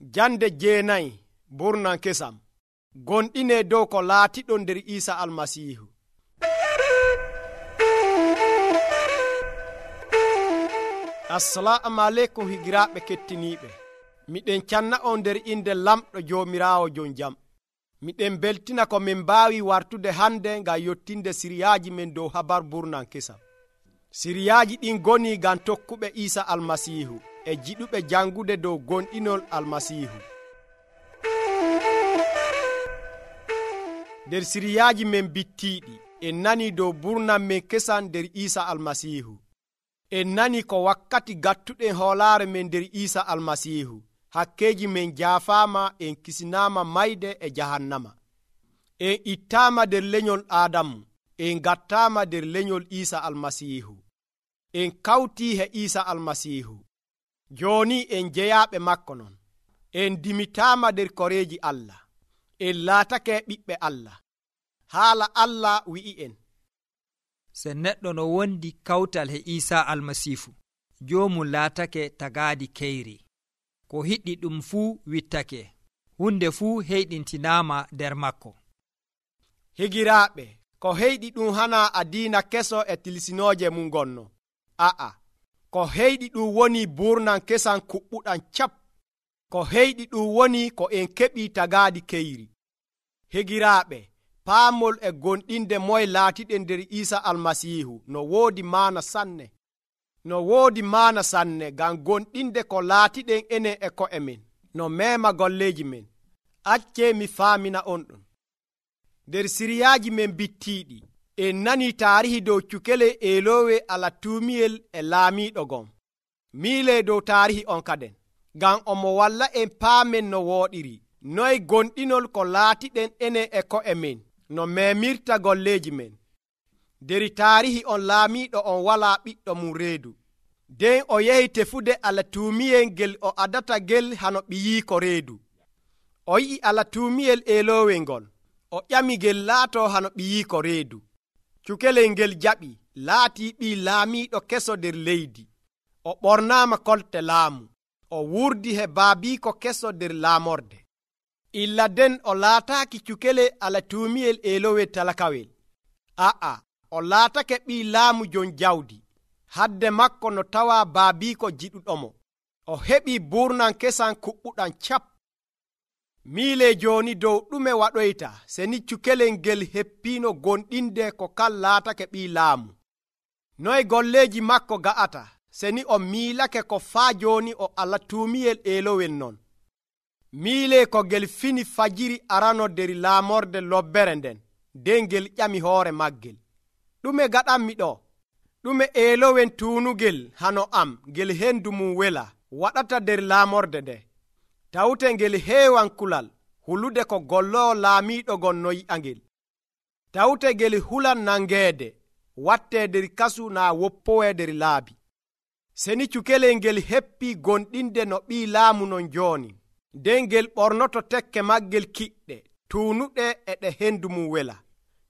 Jande 9 burnan kesam gonɗine dow ko laatiɗon nder Iisa Almasiihu. Assalamu aleykum higiraaɓe kettiniiɓe. Miɗen canna on nder inde lamɗo Joomiraawo jon jam. Miɗen beltina ko min mbaawi wartude hande ngam yottinde siriyaaji men dow habar burnan kesam. Siriyaaji ɗin goni ngam tokkuɓe Iisa Almasiihu e jiɗuɓe jangude dow gonɗinol Almasiihu. Nder siriyaaji men bittiiɗi en nani dow burnan men kesam nder Iisa Almasiihu. En nani ko wakkati gattuɗen hoolaare men nder Iisa Almasiihu. Hakkeeji men jaafaama, en kisinaama mayde e jahannama. En ittaama nder lenyol Aadamu, en gattaama nder lenyol Iisa Almasiihu. En kawtii he Iisa Almasiihu. Jooni en jeyaaɓe makko non. En dimitaama nder koreeji Allah. En laatake ɓiɓɓe Allah. Haala Allah wi'i en. Se neɗɗo no wondi kawtal he Iisa Almasiihu, joomum laatake tagaadi keyri. Ko hiɗɗi ɗum fuu wittake, hunde fuu heyɗintinaama nder makko. Higiraaɓe, ko heyɗi ɗum hana adiina keso e tilsinooje mum gonno. A'a, ko heyɗi ɗum woni burnan kesan kuɓɓuɗan cap. Ko heyɗi ɗum woni ko en keɓi tagaadi keyri. Higiraaɓe, paamol e gonɗinde moye laatiɗen nder Iisa Almasiihu no woodi maana sanne. No woodi maana sanne ngam gonɗinde ko laatiɗen enen e ko'e men no meema golleeji men. Accee mi faamina on ɗum. Nder siriyaaji men bittiiɗi en nani taarihi dow cukele eeloowe alatuumiyel e laamiiɗo gon. Miilee dow taarihi on kaden ngam omo walla en paamen no wooɗiri noye gonɗinol ko laatiɗen enen e ko'e men no meemirta golleeji men. Nder taarihi on laamiiɗo on walaa ɓiɗɗo mum reedu. Nden o yehi tefude alatuumiyel ngel o adata gel hano ɓiyiiko reedu. O yi'i alatuumiyel eeloowel ngol. O ƴami ngel laato hano ɓiyiiko reedu. Cukelel ngel jaɓi laatii ɓii laamiiɗo keso nder leydi. O ɓornaama kolte laamu. O wurdi he baabiiko keso nder laamorde. Illa den o laataaki cukele alatuumiyel eelowel talakawel. A'a, o laatake ɓii laamu jon jawdi. Hadde makko no tawaa baabiiko jiɗuɗomo. O heɓii burnan kesan kuɓɓuɗan cap. Miilee jooni dow ɗume waɗoyta seni cukelel ngel heppiino gonɗinde ko kan laatake ɓii laamu. Noye golleeji makko ga'ata seni o miilake ko faa jooni o alatuumiyel eelowel non. Miilee ko ngel fini fajiri arano nder laamorde lobbere nden, nden ngel ƴami hoore maggel. Ɗume gaɗanmi ɗo? Ɗume eelowen tuunugel hano am ngel hendu mum wela waɗata nder laamorde nde? Tawte ngel heewan kulal hulude ko golloo laamiiɗo gon no yi'angel. Tawte ngel hulan nangeede wattee nder kasu naa woppowee nder laabi. Seni cukelel ngel heppii gonɗinde no ɓii laamu non jooni. Nden ngel ɓornoto tekke maggel kiɗɗe tuunuɗe e ɗe hendu mum wela.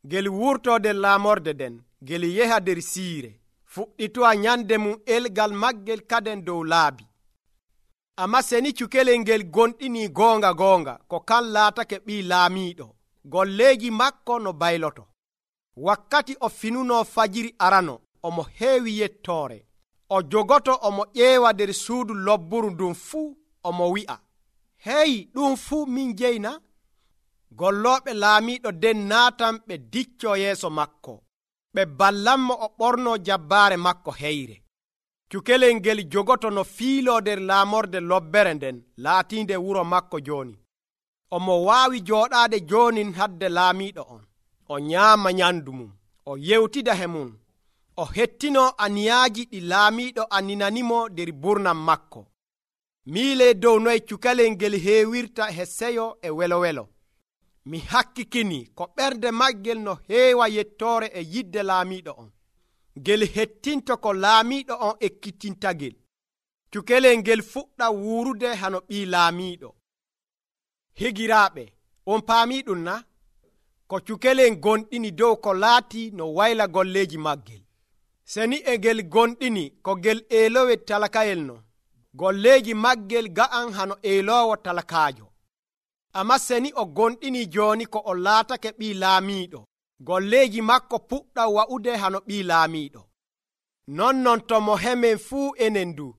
Ngel wurtoo nder laamorde nden, ngel yeha nder siire, fuɗɗitowa nyande mum elgal maggel kaden dow laabi. Amma seni cukelel ngel gonɗinii goonga ko kan laatake ɓii laamiiɗo, golleeji makko no bayloto. Wakkati o finunoo fajiri arano, omo heewi yettoore. O jogoto omo ƴeewa nder suudu lobburu ndun fuu, omo wi'a, hey, ɗum fuu min jeyna? Gollooɓe laamiiɗo den naatan ɓe diccoo yeeso makko. Ɓe ballanmo o ɓornoo jabbaare makko heyre. Cukelel ngel jogoto no fiiloo nder laamorde lobbere nden laatiinde wuro makko jooni. Omo waawi jooɗaade joonin hadde laamiiɗo on. O nyaama nyamdu mum, o yewtida he mum, o hettinoo aniyaaji ɗi laamiiɗo aninanimo nder burnan makko. Miilee dow noye cukalel ngel heewirta he seyo e welo. Mi hakkikini ko ɓernde maggel no heewa yettoore e yidde laamiiɗo on. Ngel hettinto ko laamiiɗo on ekkitintagel. Cukelel ngel fuɗɗa wuurude hano ɓii laamiiɗo. Higiraaɓe, on paamii ɗum na? Ko cukelel gonɗini dow ko laati no wayla golleeji maggel. Seni e ngel gonɗini ko ngel eelowel talakayel no. golleeji maggel ga'an hano eeloowo talakaajo. Ammaa seni o gonɗini jooni ko o laatake ɓii laamiiɗo, golleeji makko puɗɗan wa'ude hano ɓii laamiiɗo. Non to mo hemen fuu enen du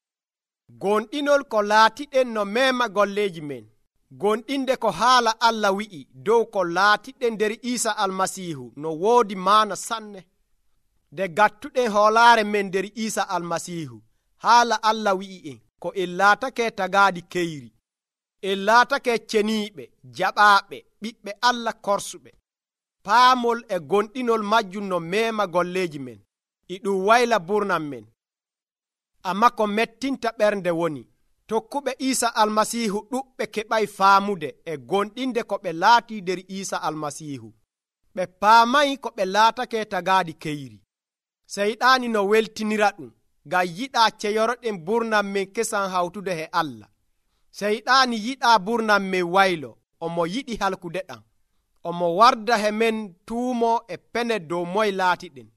gonɗinol ko laatiɗen no meema golleeji men, gonɗinde ko haala Allah wi'i dow ko laatiɗen nder Iisa Almasiihu no woodi maana sanne. Nde gattuɗen hoolaare men nder Iisa Almasiihu, haala Allah wi'i en ko en laatake tagaaɗi keyri, en laatake ceniiɓe, jaɓaaɓe, ɓiɓɓe Allah korsuɓe. Paamol e gonɗinol majjum no meema golleeji men, e ɗum wayla burnam men. Ammaa ko mettinta ɓernde woni, tokkuɓe Iisa Almasiihu ɗuɓɓe keɓay faamude e gonɗinde ko ɓe laati nder Iisa Almasiihu. Ɓe paamay ko ɓe laatake tagaaɗi keyri. Seyɗaani no weltinira ɗum, ngam yiɗaa ceyoroɗen burnam men kesan hawtude e Allah. Seyɗaani yiɗaa burnam men waylo, omo yiɗi halkude ɗam. Omo warda he men tuumo e pene dow moye laatiɗen.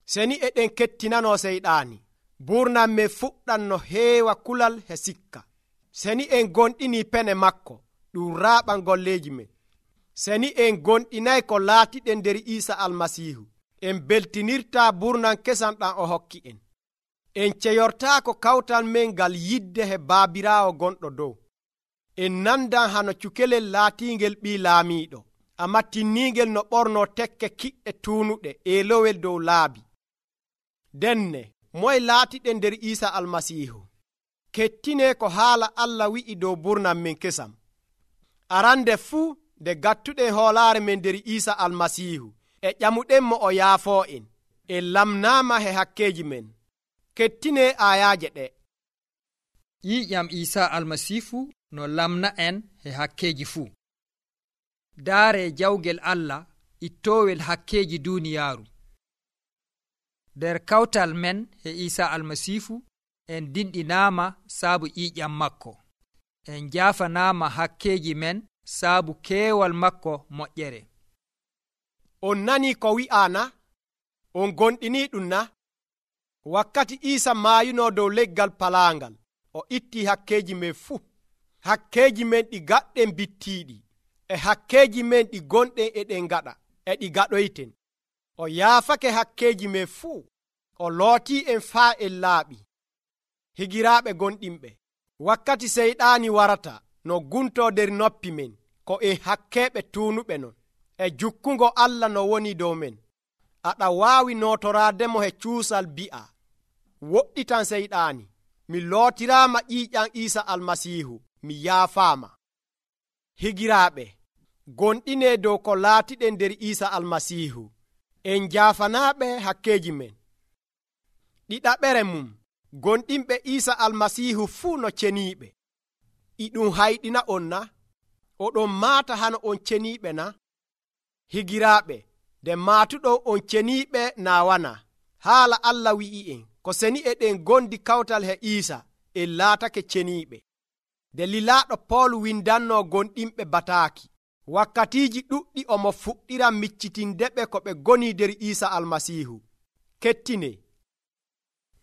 Seni eɗen kettinanoo Seyɗaani, burnam men fuɗɗan no heewa kulal he sikka. Seni en gonɗini pene makko, ɗum raaɓan golleeji men. Seni en gonɗinay ko laatiɗen nder Iisa Almasiihu, en beltinirtaa burnam kesan ɗam o hokki en. En ceyortaako kawtal men ngal yidde he baabiraawo gonɗo dow. En nandan hano cukelel laatiingel ɓii laamiiɗo, ammaa tinniingel no ɓornoo tekke kiɗɗe tuunuɗe eelowel dow laabi. Denne moye laatiɗen nder Iisa Almasiihu, kettinee ko haala Allah wi'i dow burnam men kesam. Arande fuu nde gattuɗen hoolaare men nder Iisa Almasiihu e ƴamuɗenmo o yaafoo en, en lamnaama he hakkeeji men. Kettinee aayaaje ɗe. Ƴiiƴam Iisa Almasiihu no lamna en he hakkeeji fuu. Daare jawgel Allah ittoowel hakkeeji duuniyaaru. Nder kawtal men he Iisa Almasiihu en dinɗinaama saabu ƴiiƴam makko. En jaafanaama hakkeeji men saabu keewal makko moƴƴere. On nanii ko wi'aa na? On gonɗinii ɗum na? Wakkati Iisa maayunoo dow leggal palaangal, o ittii hakkeeji men fuu. Hakkeeji men ɗi gaɗɗen bittiiɗi, e hakkeeji men ɗi gonɗen eɗen gaɗa, e ɗi gaɗoyten. O yaafake hakkeeji men fuu. O lootii en faa en laaɓi. Higiraaɓe gonɗinɓe, wakkati Seyɗaani warata no guntoo nder noppi men, ko en hakkeeɓe tuunuɓe non, e jukkungo Allah no woni dow men. Aɗa waawi nootoraademo he cuusal bi'a, woɗɗitan Seyɗaani, mi lootiraama ƴiiƴam Iisa Almasiihu, mi yaafaama. Higiraaɓe, gonɗinee dow ko laatiɗen nder Iisa Almasiihu, en jaafanaaɓe hakkeeji men. Ɗiɗaɓere mum, gonɗinɓe Iisa Almasiihu fuu no ceniiɓe. E ɗum hayɗina on na? Oɗon maata hano on ceniiɓe na? Higiraaɓe, nde maatuɗon on ceniiɓe naa wana. Haala Allah wi'i en ko seni eɗen gondi kawtal he Iisa, en laatake ceniiɓe. Nde lilaaɗo Pool windannoo gonɗinɓe bataaki, wakkatiiji ɗuɗɗi omo fuɗɗira miccitindeɓe ko ɓe goni nder Iisa Almasiihu. Kettine,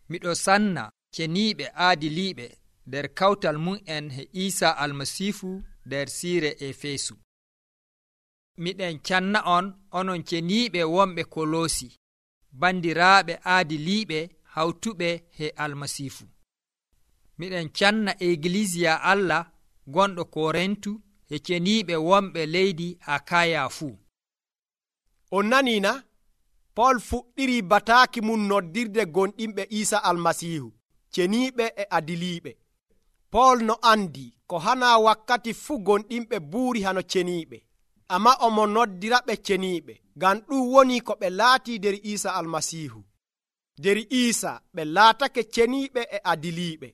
miɗo sanna ceniiɓe aadiliiɓe nder kawtal mum'en he Iisa Almasiihu nder siire Efeesu. Miɗen canna on onon ceniiɓe wonɓe Koloosi, bandiraaɓe aadiliiɓe hawtuɓe he Almasiihu. Miɗen canna Egilisiya Allah gonɗo Korintu he ceniiɓe wonɓe leydi Akaya fuu. On nanii na? Pool fuɗɗirii bataaki mum noddirde gonɗinɓe Iisa Almasiihu, ceniiɓe e adiliiɓe. Pool no andi ko hanaa wakkati fuu gonɗinɓe buuri hano ceniiɓe, ammaa omo noddiraɓe ceniiɓe, ngam ɗum woni ko ɓe laatii nder Iisa Almasiihu. Nder Iisa ɓe laatake ceniiɓe e adiliiɓe,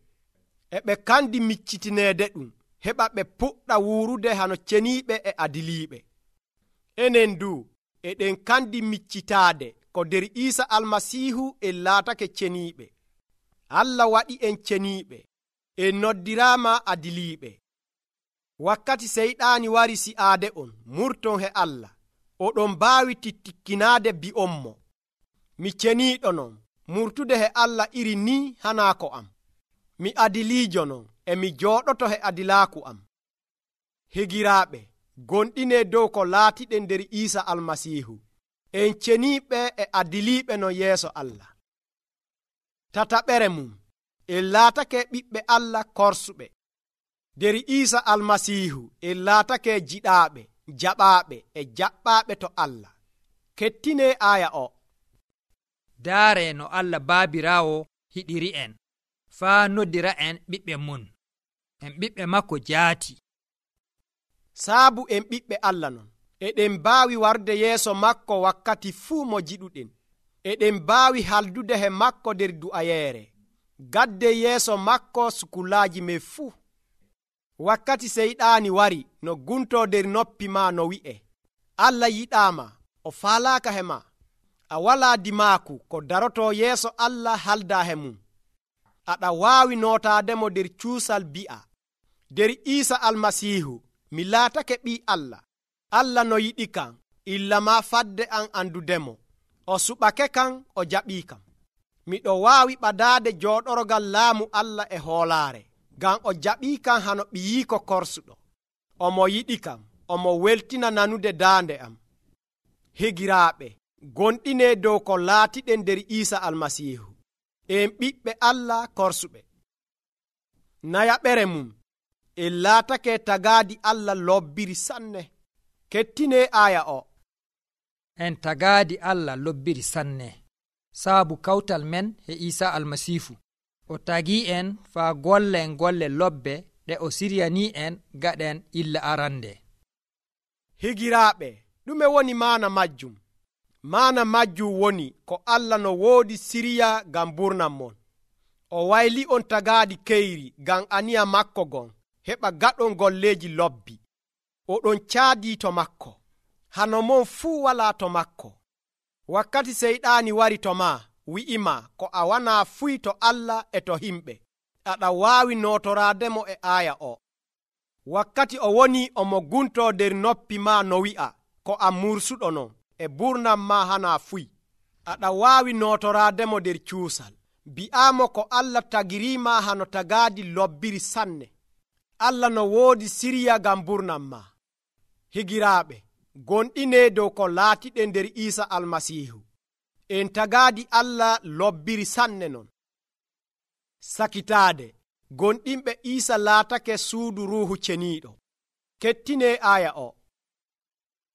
e ɓe kandi miccitineede ɗum, heɓa ɓe puɗɗa wuurude hano ceniiɓe e adiliiɓe. Enen du eɗen kandi miccitaade ko nder Iisa Almasiihu en laatake ceniiɓe. Allah waɗi en ceniiɓe, en noddiraama adiliiɓe. Wakkati Seyɗaani wari si'aade on murton he Allah, oɗon mbaawi tittikkinaade bi'onmo, mi ceniiɗo non, murtude he Allah iri ni hanaa ko am. mi adiliijo non e mi jooɗoto he adilaaku am. Higiraaɓe, gonɗine dow ko laatiɗen nder Iisa Almasiihu. En ceniiɓe e adiliiɓe no yeeso Allah. Tataɓere mum, en laatake ɓiɓɓe Allah korsuɓe. Nder Iisa Almasiihu en laatake jiɗaaɓe, jaɓaaɓe e jaɓɓaaɓe to Allah. Kettine aaya o. Daare no Allah baabiraawo hiɗiri en faa noddira en ɓiɓɓe mum. En ɓiɓɓe makko jaati. Saabu en ɓiɓɓe Allah non, eɗen mbaawi warde yeeso makko wakkati fuu mo jiɗuɗen. Eɗen mbaawi haldude he makko nder du'ayeere. Gadde yeeso makko sukulaaji men fuu. Wakkati seyɗaani wari no guntoo nder noppi maa no wi'e, Allah yiɗaama, o faalaaka he maa. A walaa dimaaku ko darotoo yeeso Allah haldaa he mum. Aɗa waawi nootaademo nder cuusal bi'a, nder Iisa Almasiihu mi laatake ɓii Allah. Allah no yiɗi kam, illa maa fadde an andudemo. O suɓake kam, o jaɓii kam. Miɗo waawi ɓadaade jooɗorgal laamu Allah e hoolaare, ngam o jaɓii kam hano ɓiyiiko korsuɗo. Omo yiɗi kam, omo weltina nanude daande am. Higiraaɓe, gonɗine dow ko laatiɗen nder Iisa Almasiihu. En ɓiɓɓe Allah korsuɓe. Nayaɓere mum, en laatake tagaadi Allah lobbiri sanne. Kettine aaya o. En tagaadi Allah lobbiri sanne, saabu kawtal men he Iisa Almasiihu. O tagii en faa gollen golle lobbe ɗe o siryanii en gaɗen illa arande. Higiraaɓe, ɗume woni maana majjum? Maana majjum woni ko Allah no woodi siriya ngam burnam mon. O wayli on tagaadi keyri ngam aniya makko gon, heɓa gaɗon golleeji lobbi. Oɗon caadii to makko. Hano mon fuu walaa to makko. Wakkati seyɗaani wari to maa, wi'ima ko a wanaa fuy to Allah e to himɓe. Aɗa waawi nootoraademo e aaya o. Wakkati o woni omo guntoo nder noppi maa no wi'a ko a mursuɗo non e burnam maa hanaa fuy. Aɗa waawi nootoraademo nder cuusal. Bi'aamo ko Allah tagiriima hano tagaadi lobbiri sanne. Allah no woodi siriya ngam burnam maa. Higiraaɓe, gonɗine dow ko laatiɗen nder Iisa Almasiihu. En tagaadi Allah lobbiri sanne non. Sakitaade, gonɗinɓe Iisa laatake suudu Ruuhu Ceniiɗo. Kettine aaya o.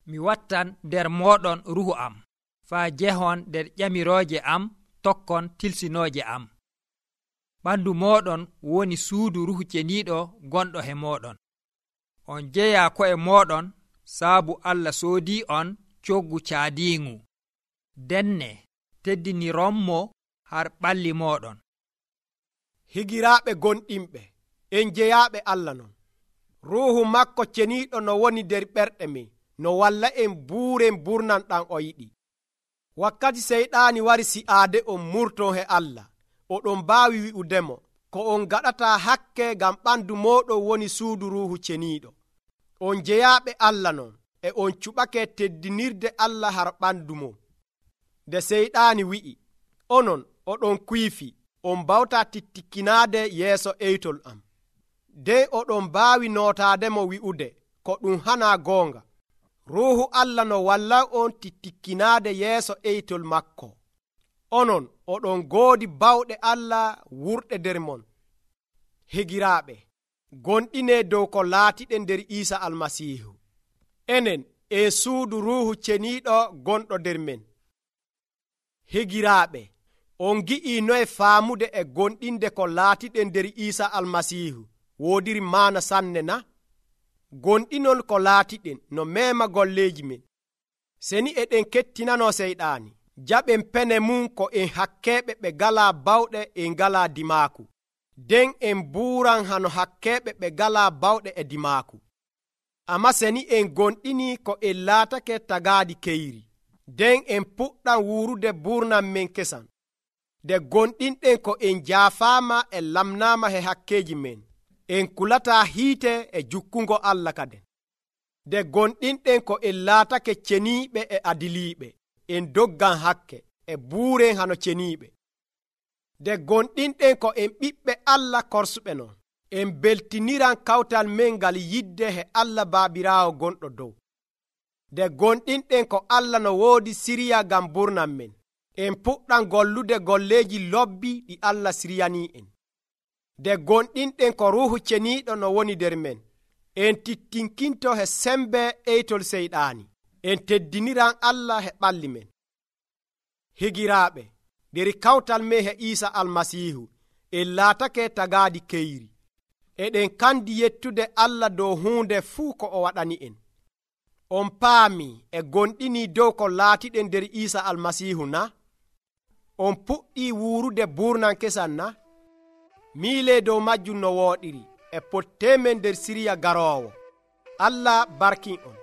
Mi wattan nder mooɗon ruhu am, faa jehon nder ƴamirooje am tokkon tilsinooje am. Ɓandu mooɗon woni suudu Ruuhu Ceniiɗo gonɗo he mooɗon. On jeyaa ko'e mooɗon saabu Allah soodii on coggu caadiingu. Denne teddinironmo har ɓalli mooɗon. Higiraaɓe gonɗinɓe, en jeyaaɓe Allah non. Ruuhu makko Ceniiɗo no woni nder ɓerɗe men, no walla en buuren burnan ɗan o yiɗi. Wakkati seyɗaani wari si'aade on murton he Allah, oɗon mbaawi wi'udemo ko on gaɗataa hakke ngam ɓandu mooɗon woni suudu Ruuhu Ceniiɗo. On jeyaaɓe Allah non, e on cuɓake teddinirde Allah har ɓandu mum. Nde seyɗaani wi'i, onon oɗon kuyfi, on mbawtaa tittikkinaade yeeso eytol am. Nden oɗon mbaawi nootaademo wi'ude ko ɗum hanaa goonga. Ruuhu Allah no walla on tittikkinaade yeeso eytol makko. Onon oɗon goodi bawɗe Allah wurɗe nder mon. Higiraaɓe, gonɗine dow ko laatiɗen nder Iisa Almasiihu. Enen e suudu Ruuhu Ceniiɗo gonɗo nder men. Higiraaɓe, on gi'ii noye faamude e gonɗinde ko laatiɗen nder Iisa Almasiihu woodiri maana sanne na? Gonɗinol ko laatiɗen no meema golleeji men. Seni eɗen kettinanoo seyɗaani, jaɓen pene mum ko en hakkeeɓe ɓe galaa bawɗe en galaa dimaaku. Den en buuran hano hakkeeɓe ɓe galaa bawɗe e dimaaku. Amma seni en gonɗini ko en laatake tagaadi keyri, den en puɗɗan wuurude buurnam men kesan. Nde gonɗinɗen ko en jaafaama e lamnaama he hakkeeji men, en kulataa hiite e jukkungo Allah kaden. Nde gonɗinɗen ko en laatake ceniiɓe e adiliiɓe, en doggan hakke e buuren hano ceniiɓe. nde gonɗinɗen ko en ɓiɓɓe Allah korsuɓe non, en beltiniran kawtal men ngal yidde he Allah Baabiraawo gonɗo dow. Nde gonɗinɗen ko Allah no woodi siriya ngam burnan men, en puɗɗan gollude golleeji lobbi ɗi Allah siriyanii en. Nde gonɗinɗen ko Ruuhu Ceniiɗo no woni nder men, en tittinkinto he sembe eytol seyɗaani, en teddiniran Allah he ɓalli men. Higiraaɓe, nder kawtal men he Iisa Almasiihu, en laatake tagaadi keyri. Eɗen kandi yettude Allah dow huunde fuu ko o waɗani en. On paami e gonɗinii dow ko laatiɗen nder Iisa Almasiihu na? On puɗɗii wuurude burnan kesan na? Miilee dow majjum no wooɗiri e potteemen nder siriya garoowo. Allah barkin on.